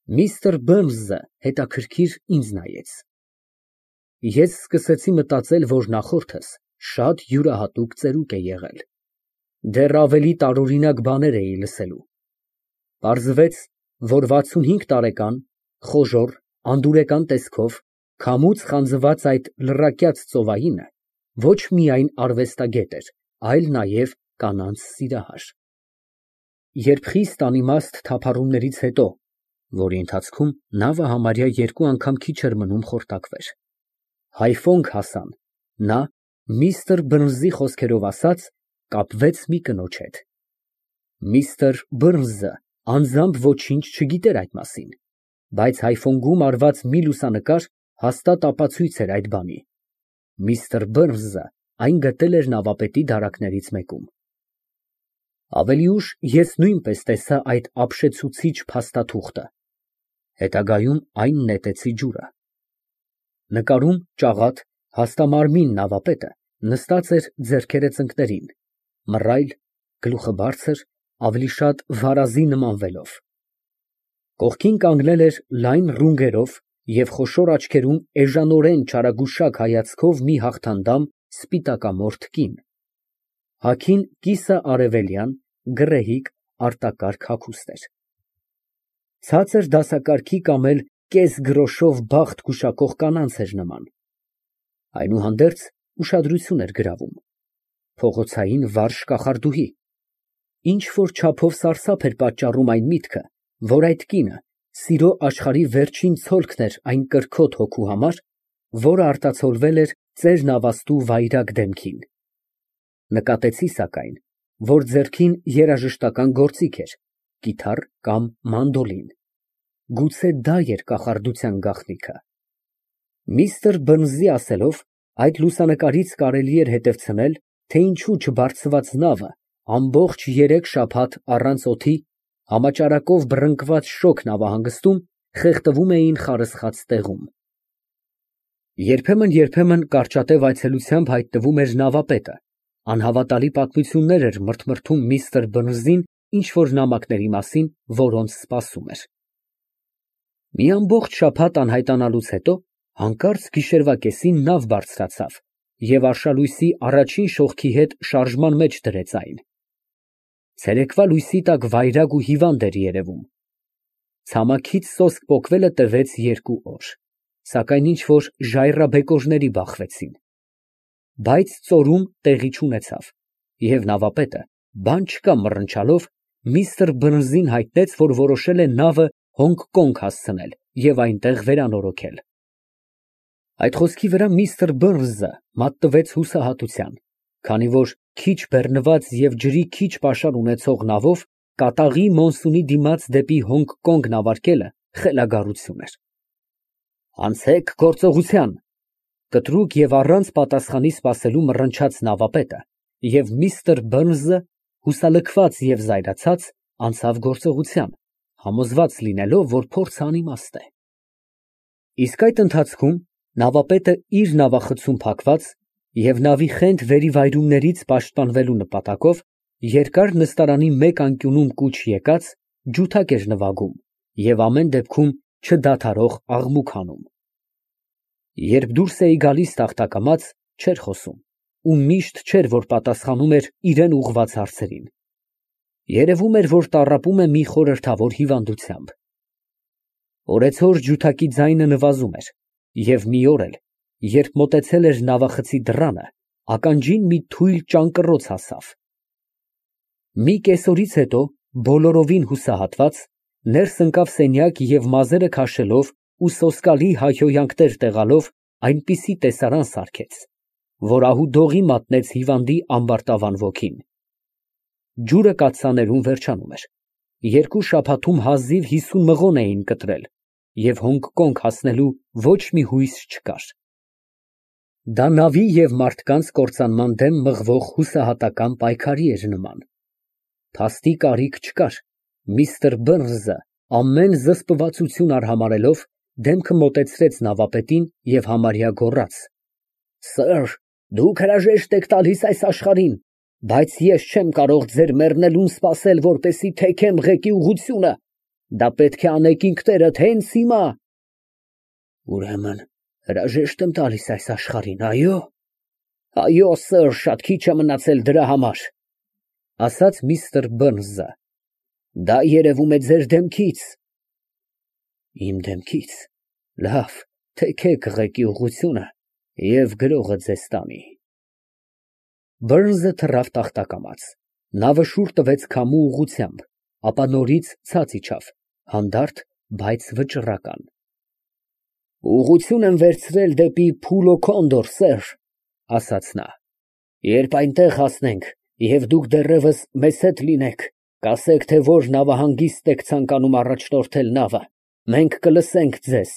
Միստր Բըրնսը հետաքրքիր ինձ նայեց։ Ես սկսեցի մտածել, որ նախորդս շատ յուրահատուկ ծերուկ է եղել, դեռ ավելի տարօրինակ բաներ էի լսելու։ Պարզվեց, որ 65 տարեկան, խոժոռ, անդուրեկան տեսքով, քամուց խանձված այդ լռակյաց ծովայինը ոչ միայն արվեստագետ էր, այլ նաև կանանց սիրահար։ Երբ խիստ անիմաստ թափառումներից հետո, որի ընթացքում նավը համարյա երկու անգամ քիչ էր մնում խորտակվեր, հայֆոնք հասան, նա, միստր Բըրնսի խոսքերով ասած, կապվեց մի կնոջ հետ։ Միստր Բըրնսը անձամբ ոչինչ չգիտեր այդ մասին, բայց հայֆոնգում արված մի լուսանկար հաստատ ապացույց էր այդ բանի։ Միստր Բըրնսը այն գտել էր նավապետի դարակներից մեկում։ Ավելի ուշ ես նույնպես տեսա այդ ապշեցուցիչ փաստաթուղթը, հետագայում այն նետեցի ջուրը։ Նկարում ճաղատ, հաստամարմին նավապետը նստած էր ձեռքերը ծնկներին, մռայլ, գլուխը բարձր, ավելի շատ վարազի նմանվելով։ Կողքին կանգնել էր լայն ռունգերով և խոշոր աչքերում էժանորեն չարագուշակ հայացքով մի հաղթանդամ սպիտակամորթ կին։ Հագին կիսաարևելյան, գռեհիկ, արտակարգ հագուստ էր։ Ցածր դասակարգի կամ էլ կեսգրոշով բախտ գուշակող կանանց էր նման։ Այնուհանդերձ ուշադրություն էր գրավում, փողոցային վարժ կախարդուհի։ Ինչ֊որ չափով սարսափ էր պատճառում այն միտքը, որ այդ կինը սիրո աշխարհի վերջին ցոլքն էր այն կրքոտ հոգու համար, որը արտացոլվել էր ծեր նավաստու վայրագ դեմքին։ Նկատեցի, սակայն, որ ձեռքին երաժշտական գործիք էր, կիթառ կամ մանդոլին։ Գուցե դա էր կախարդության գաղտնիքը։ Միստր Բըրնսի ասելով, այդ լուսանկարից կարելի էր հետևցնել, թե ինչու չբարձված նավը ամբողջ 3 շաբաթ առանց օդի, համաճարակով բռնկված շոգ նավահանգստում խեղդվում էին խարսխաց տեղում։ Երբեմն կարճատև այցելությամբ հայտնվում էր նավապետը, անհավատալի պատմություններ էր մրթմրթում միստր Բըրնսին ինչ֊որ նամակների մասին, որոնց սպասում էր։ Մի ամբողջ շաբաթ անհայտանալուց հետո հանկարծ գիշերվա կեսին նավ բարձրացավ և արշալույսի առաջին շողքի հետ շարժման մեջ դրեց այն։ Ցերեկվա լույսի տակ վայրագ ու հիվանդ էր երևում։ Ցամաքից սոսկ պոկվելը տևեց 2 օր, սակայն ինչ֊որ ժայռաբեկորների բախվեցին։ Բայց ծորում տեղի չունեցավ, և նավապետը, բան չկա մռնչալով, միստր Բըրնսին հայտնեց, որ որոշել է նավը Հոնգկոնգ հասցնել և այնտեղ վերանորոգել։ Այդ խոսքի վրա միստր Բըրնսը մատնվեց հուսահատության, քանի որ քիչ բեռնված և ջրի քիչ պաշար ունեցող նավով կատաղի մոնսունի դիմաց դեպի Հոնգկոնգ նավարկելը խելագարություն էր։ «Անցեք գործողության», կտրուկ և առանց պատասխանի սպասելու մռնչաց նավապետը, և միստր Բըրնսը, հուսալքված և զայրացած, անցավ գործողության, համոզված լինելով, որ փորձը անիմաստ է։ Իսկ այդ ընթացքում նավապետը իր նավախցում փակված և նավի խենթ վերիվայրումներից պաշտպանվելու նպատակով երկար նստարանի մեկ անկյունում կուչ եկած, ջութակ էր նվագում և ամեն դեպքում չդադարող աղմուկ հանում։ Երբ դուրս էի գալիս տախտակամած, չէր խոսում ու միշտ չէր, որ պատասխանում էր իրան ուղղված հարցերին։ Երևում էր, որ տառապում է մի խորհրդավոր հիվանդությամբ։ Օրեցօր ջութակի ձայնը նվազում էր, և մի օր էլ, երբ մոտեցել էր նավախցի դռանը, ականջին մի թույլ ճանկռոց հասավ։ Մի կեսօրից հետո, բոլորովին հուսահատված, ներս ընկավ սենյակ և մազերը քաշելով ու սոսկալի հայհոյանքներ տեղալով այնպիսի տեսարան սարքեց, որ ահուդողի մատնեց հիվանդի ամբարտավան ոգին։ Ջուրը կաթսաներում վերջանում էր, 2 շաբաթում հազիվ 50 մղոն էին կտրել, և Հոնգկոնգ հասնելու ոչ մի հույս չկար։ Դա նավի և մարդկանց կործանման դեմ մղվող հուսահատական պայքարի էր նման։ Փաստի կարիք չկար, միստր Բըրնսը ամեն զսպվածություն արհամարհելով, դեմքը մոտեցրեց նավապետին և համարյա գոռաց. «Սըր, դուք հրաժեշտ եք տալիս այս աշխարհին, բայց ես չեմ կարող ձեր մեռնելուն սպասել, որպեսզի թեքեմ ղեկի ուղղությունը։ Դա պետք է անեք ինքներդ հենց հիմա։ Ուրեմն հրաժեշտ եմ տալիս այս աշխարհին, այո։ Այո, սըր, շատ քիչ է մնացել դրա համար, ասաց միստր Բըրնսը։ Դա երևում է ձեր դեմքից։ Իմ դեմքից։ Լավ, թեքեք ղեկի ուղղությունը և գրողը ձեզ տանի։ Բըրնսը թռավ տախտակամաց, նավը շուռ տվեց քամու ուղղությամբ, ապա նորից ցած իջավ, հանդարտ, բայց վճռական։ Ուղղություն եմ վերցրել դեպի Փուլո Քոնդոր, սըր, ասաց նա։ Երբ այնտեղ հասնենք, և դուք դեռևս մեզ հետ լինեք, կասեք, թե որ նավահանգիստ եք ցանկանում առաջնորդել նավը, մենք կլսենք ձեզ։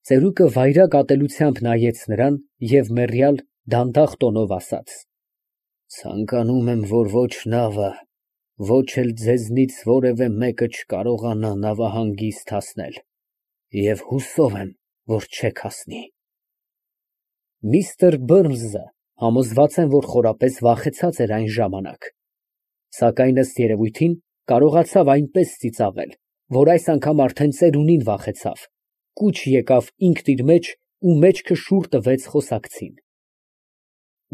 Ծերուկը վայրագ ատելությամբ նայեց նրան և մեռյալ դանդաղ տոնով ասաց. Ցանկանում եմ, որ ոչ նավը, ոչ էլ ձեզնից որևէ մեկը չկարողանա նավահանգիստ հասնել, և հուսով եմ, որ չեք հասնի։ Միստր Բըրնսը համոզված եմ, որ խորապես վախեցած էր այն ժամանակ, սակայն ըստ երևույթին կարողացավ այնպես ծիծաղել, որ այս անգամ արդեն ծերունին վախեցավ, կուչ եկավ ինքն իր մեջ ու մեջքը շուռ տվեց խոսակցին։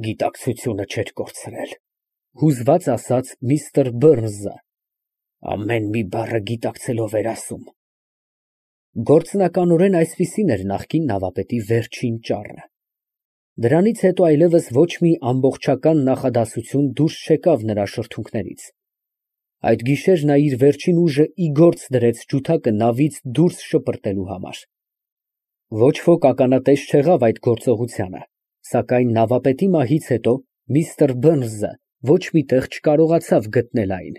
Գիտակցությունը չէր կորցրել, հուզված ասաց միստր Բըրնսը, ամեն մի բառը գիտակցելով էր ասում։ Գործնականորեն այսպիսին էր նախկին նավապետի վերջին ճառը։ Դրանից հետո այլևս ոչ մի ամբողջական նախադասություն դուրս չեկավ նրա շրթունքներից։ Այդ գիշեր նա իր վերջին ուժը ի գործ դրեց ջութակը նավից դուրս շպրտելու համար։ Ոչ ոք ականատես չեղավ այդ գործողությանը, սակայն նավապետի մահից հետո միստր Բըրնսը ոչ մի տեղ չկարողացավ գտնել այն։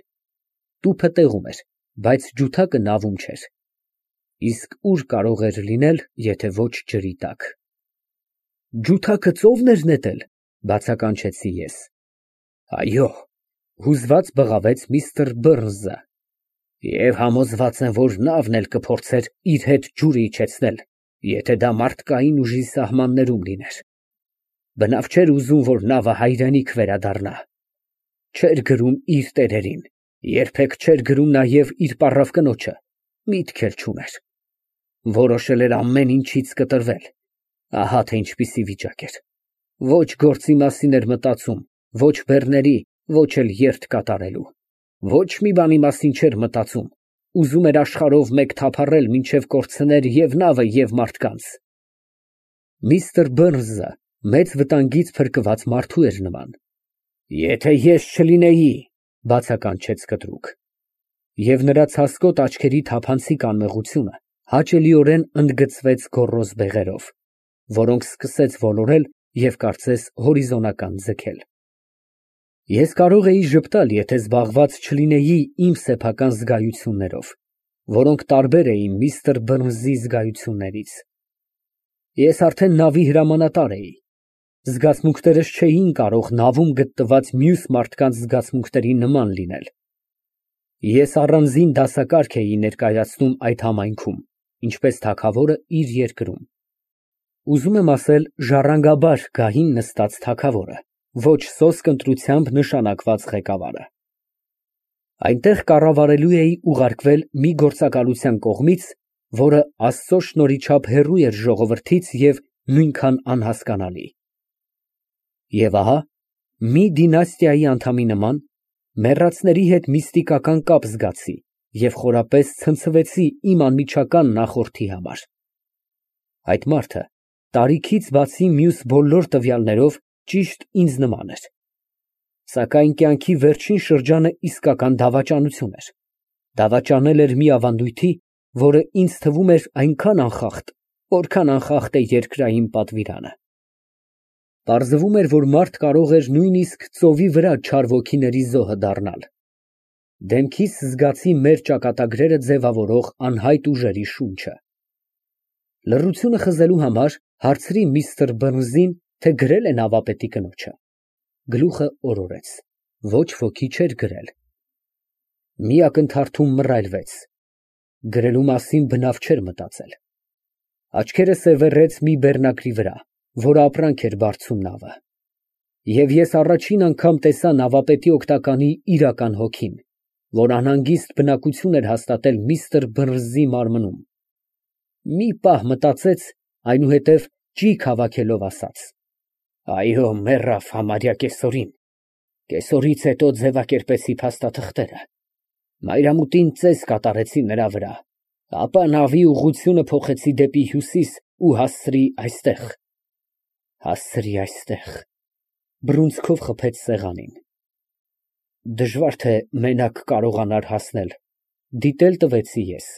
Տուփը տեղում էր, բայց ջութակը նավում չէր։ Իսկ ուր կարող էր լինել, եթե ոչ ջրի տակ։ Ջութակը ծովն էր նետել, բացականչեցի ես։ Այո, հուզված բղավեց միստր Բըրնսը։ Եվ համոզված եմ, որ նավն էլ կփորձեր իր հետ ջուրը իջեցնել, եթե դա մարդկային ուժի սահմաններում լիներ։ Բնավ չէր ուզում, որ նավը հայրենիք վերադառնա։ Չէր գրում իր տերերին, երբեք չէր գրում նաև իր պառավ կնոջը, միտք էլ չուներ։ Որոշել էր ամեն ինչից կտրվել։ Ահա թե ինչպիսի վիճակ էր։ Ոչ գործի մասին էր մտածում, ոչ բեռների, ոչ էլ երթ կատարելու։ Ոչ մի բանի մասին չէր մտածում, ուզում էր աշխարհով մեկ թափառել, մինչև կորցներ և նավը, և մարդկանց։ Միստր Բըրնսը մեծ վտանգից փրկված մարդու էր նման։ Եթե ես չլինեի, բացականչեց կտրուկ։ Եվ նրա ցասկոտ աչքերի թափանցիկ անմեղությունը հաճելիորեն ընդգծվեց գոռոզ բեղերով, որոնք սկսեց ոլորել և կարծես հորիզոնական ձգել։ Ես կարող էի ժպտալ, եթե զբաղված չլինեի իմ սեփական զգայություններով, որոնք տարբեր էին միստր Բըրնսի զգայություններից։ Ես արդեն նավի հրամանատար էի։ Զգացմունքներս չէին կարող նավում գտնված մյուս մարդկանց զգացմունքների նման լինել։ Ես առանձին դասակարգ էի ներկայացնում այդ համայնքում, ինչպես թագավորը իր երկրում։ Ուզում եմ ասել ժառանգաբար գահին նստած թագավորը, ոչ սոսկ ընտրությամբ նշանակված ղեկավարը։ Այնտեղ կառավարելու էի ուղարկվել մի գործակալության կողմից, որը Աստծո շնորհիչափ հեռու էր ժողովրդից և նույնքան անհասկանալի։ Եվ ահա, մի դինաստիայի անդամի նման, մեռածների հետ միստիկական կապ զգացի և խորապես ցնցվեցի իմ անմիջական նախորդի համար։ Այդ մարդը տարիքից բացի մյուս բոլոր տվյալներով ճիշտ ինձ նման էր։ Սակայն կյանքի վերջին շրջանը իսկական դավաճանություն էր։ Դավաճանել էր մի ավանդույթի, որը ինձ թվում էր այնքան անխախտ, որքան անխախտ է երկրային պատվիրանը։ Պարզվում էր, որ մարդ կարող էր նույնիսկ ծովի վրա չար ոգիների զոհը դառնալ։ Դեմքիս զգացի մեր ճակատագրերը ձևավորող անհայտ ուժերի շունչը։ Լռությունը խզելու համար հարցրի միստր Բըրնսին, թե գրել է նավապետի կնոջը։ Գլուխը օրորեց։ Ոչ ոքի չէր գրել։ Մի ակնթարթում մռայլվեց։ Գրելու մասին բնավ չէր մտածել։ Աչքերը սևեռեց մի բեռնակրի վրա, որը ապրանք էր բարձում նավը։ Եվ ես առաջին անգամ տեսա նավապետի օգնականի իրական հոգին։ որ անհանգիստ բնակություն էր հաստատել միստր Բըրնսի մարմնում։ Մի պահ մտածեց, այնուհետև ճիգ հավաքելով ասաց. «Այո, մեռավ համարյա կեսօրին։ Կեսօրից հետո ձևակերպեցի փաստաթղթերը, մայրամուտին ծես կատարեցի նրա վրա, ապա նավի ուղղությունը փոխեցի դեպի հյուսիս ու հասցրի այստեղ»։ Բռունցքով խփեց սեղանին։ Դժվար թե մենակ կարողանար հասնել, դիտել տվեցի ես,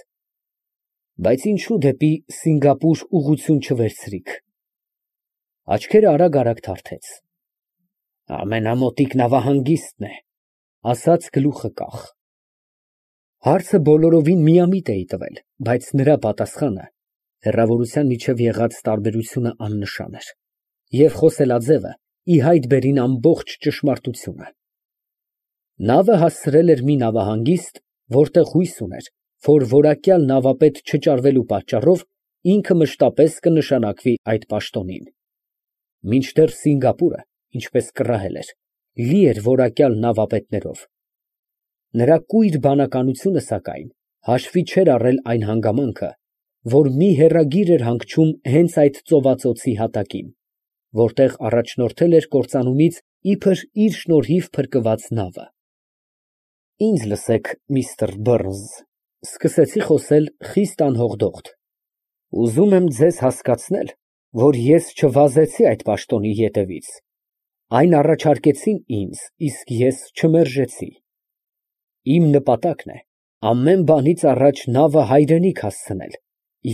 բայց ինչու դեպի Սինգապուր ուղղություն չվերցրիք։ Աչքերը արագ թարթեց։ Ամենամոտիկ նավահանգիստն է, ասաց գլուխը կախ։ Հարցը բոլորովին միամիտ էի տվել, բայց նրա պատասխանը հեռավորության միջև եղած տարբերությունը աննշան էր, և խոսելաձևը ի հայտ բերին ամբողջ ճշմարտությունը։ Նավը հասցրել էր մի նավահանգիստ, որտեղ հույս ուներ, որ որակյալ նավապետ չճարվելու պատճառով ինքը մշտապես կնշանակվի այդ պաշտոնին։ Մինչդեռ Սինգապուրը, ինչպես կռահել էր, լի էր որակյալ նավապետներով։ Նրա կույր բանականությունը, սակայն, հաշվի չէր առել այն հանգամանքը, որ մի հեռագիր էր հանգչում հենց այդ ծովածոցի հատակին, որտեղ առաջնորդել էր կործանումից իբր իր շնորհիվ փրկված նավը։ Ինձ լսեք, միստր Բըրնս, սկսեցի խոսել խիստ անհողդողդ, ուզում եմ ձեզ հասկացնել, որ ես չվազեցի այդ պաշտոնի ետևից, այն առաջարկեցին ինձ, իսկ ես չմերժեցի։ Իմ նպատակն է ամեն բանից առաջ նավը հայրենիք հասցնել,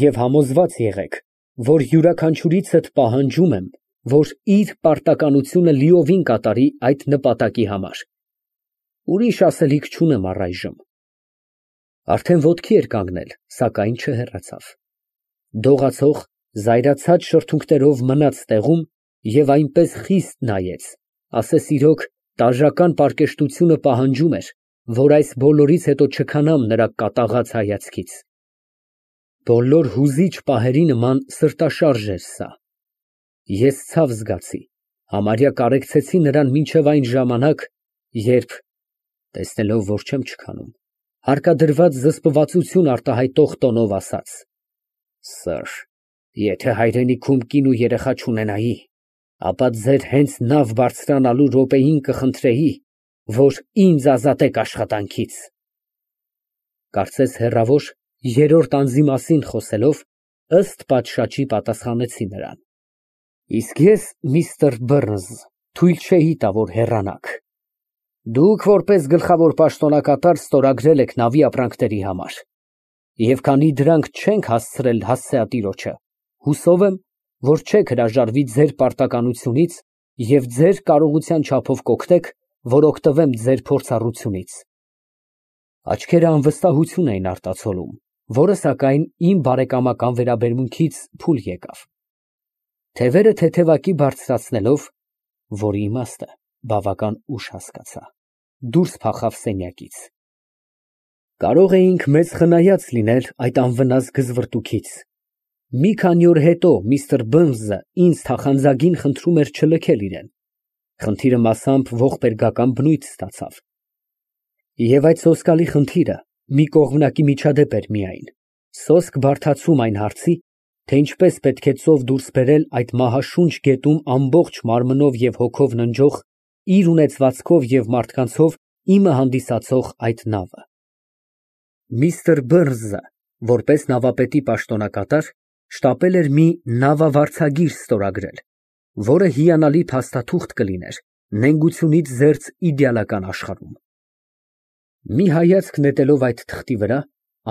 և համոզված եղեք, որ յուրաքանչյուրիցդ պահանջում եմ, որ իր պարտականությունը լիովին կատարի այդ նպատակի համար։ Ուրիշ ասելիք չունեմ առայժմ։ Արդեն ոտքի էր կանգնել, սակայն չհեռացավ։ Դողացող, զայրացած շրթունքներով մնաց տեղում և այնպես խիստ նայեց, ասես իրոք տաժական պարկեշտությունը պահանջում էր, որ այս բոլորից հետո չքանամ նրա կատաղած հայացքից։ Բոլոր հուզիչ պահերի նման սրտաշարժ էր սա։ Ես ցավ զգացի, համարյա կարեկցեցի նրան մինչև այն ժամանակ, երբ, տեսնելով, որ չեմ չքանում, հարկադրված զսպվածություն արտահայտող տոնով ասաց. Սըր, եթե հայրենիքում կին ու երեխա չունենայի, ապա ձեր հենց նավ բարձրանալու րոպեին կխնդրեի, որ ինձ ազատեք աշխատանքից։ Կարծես հեռավոր երրորդ անձի մասին խոսելով, ըստ պատշաճի պատասխանեցի նրան. Իսկ ես, միստր Բըրնս, թույլ չէի տա, որ հեռանաք։ Դուք որպես գլխավոր պաշտոնակատար ստորագրել եք նավի ապրանքների համար, և քանի դրանք չենք հասցրել հասցեատիրոջը, հուսով եմ, որ չեք հրաժարվի ձեր պարտականությունից և ձեր կարողության չափով կօգնեք, որ օգտվեմ ձեր փորձառությունից։ Աչքերը անվստահություն էին արտացոլում, որը, սակայն, իմ բարեկամական վերաբերմունքից փուլ եկավ։ Թևերը թեթևակի բարձրացնելով, որի իմաստը բավական ուշ հասկացա, դուրս փախավ սենյակից։ Կարող էինք մեծ խնայած լինել այդ անվնաս գզվռտուքից։ Մի քանի օր հետո միստր Բըրնսը ինձ թախանձագին խնդրում էր չլքել իրեն։ Խնդիրը մասամբ ողբերգական բնույթ ստացավ։ Եվ այդ սոսկալի խնդիրը մի կողմնակի միջադեպ էր միայն, սոսկ բարդացում այն հարցի, թե ինչպես պետք է ծով դուրս բերել այդ մահաշունչ գետում ամբողջ մարմնով և հոգով ննջող, իր ունեցվածքով և մարդկանցով իմը հանդիսացող այդ նավը։ Միստր Բըրնսը, որպես նավապետի պաշտոնակատար, շտապել էր մի նավավարձագիր ստորագրել, որը հիանալի փաստաթուղթ կլիներ նենգությունից զերծ իդեալական աշխարհում։ Մի հայացք նետելով այդ թղթի վրա,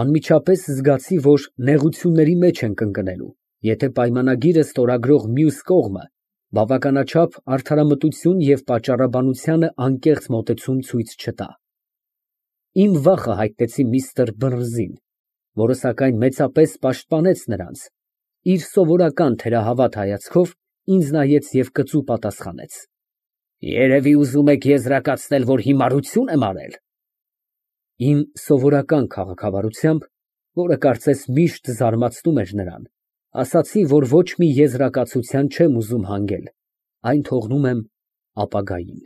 անմիջապես զգացի, որ նեղությունների մեջ ենք ընկնելու, եթե պայմանագիրը ստորագրող մյուս կողմը բավականաչափ արդարամտություն և պատճառաբանությանը անկեղծ մոտեցում ցույց չտա։ Իմ վախը հայտնեցի միստր Բըրնսին, որը, սակայն, մեծապես պաշտպանեց նրանց, իր սովորական թերահավատ հայացքով ինձ նայեց և կծու պատասխանեց. Երևի ուզում եք եզրակացնել, որ հիմարություն եմ արել։ Իմ սովորական քաղաքավարությամբ, որը կարծես միշտ զարմացնում էր նրան, ասացի, որ ոչ մի եզրակացության չեմ ուզում հանգել, այն թողնում եմ ապագային։